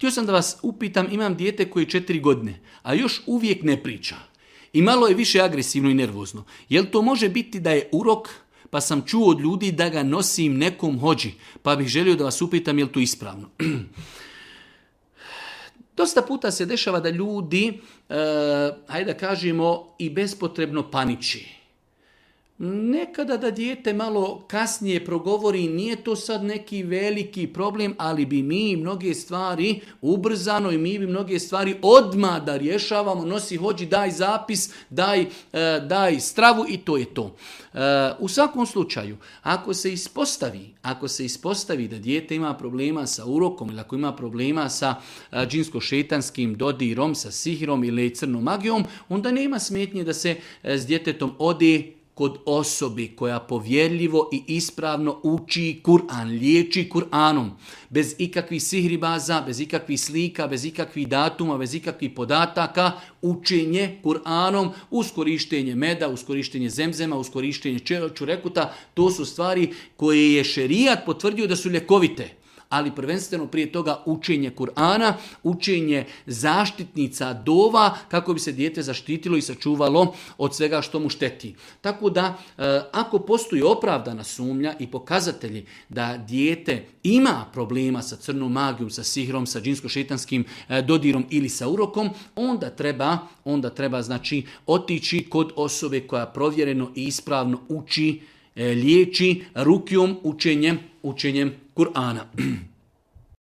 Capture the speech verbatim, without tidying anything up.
Htio sam da vas upitam, imam dijete koje je četiri godine, a još uvijek ne priča. I malo je više agresivno i nervozno. Jel to može biti da je urok, pa sam čuo od ljudi da ga nosim nekom hođi, pa bih želio da vas upitam je li to ispravno. Dosta puta se dešava da ljudi, e, hajde da kažemo, i bespotrebno paniči. Nekada da dijete malo kasnije progovori, nije to sad neki veliki problem, ali bi mi mnoge stvari ubrzano i mi bi mnoge stvari odmah da rješavamo, nosi hođi, daj zapis, daj, e, daj stravu i to je to. E, u svakom slučaju, ako se ispostavi, ako se ispostavi da dijete ima problema sa urokom ili ako ima problema sa e, džinsko-šetanskim dodirom, sa sihirom ili crnom magijom, onda nema smetnje da se e, s djetetom ode kod osobi koja povjerljivo i ispravno uči Kur'an, liječi Kur'anom, bez ikakvih sihribaza, bez ikakvih slika, bez ikakvih datuma, bez ikakvih podataka, učenje Kur'anom uz korištenje meda, uz korištenje zemzema, uz korištenje čurekuta, to su stvari koje je šerijat potvrdio da su ljekovite. Ali prvenstveno prije toga učenje Kur'ana, učenje zaštitnica dova kako bi se dijete zaštitilo i sačuvalo od svega što mu šteti. Tako da ako postoji opravdana sumnja i pokazatelji da dijete ima problema sa crnom magijom, sa sihrom, sa džinsko-šetanskim dodirom ili sa urokom, onda treba, onda treba znači otići kod osobe koja provjereno i ispravno uči, liječi rukijom, učenjem, učenjem Kur'ana.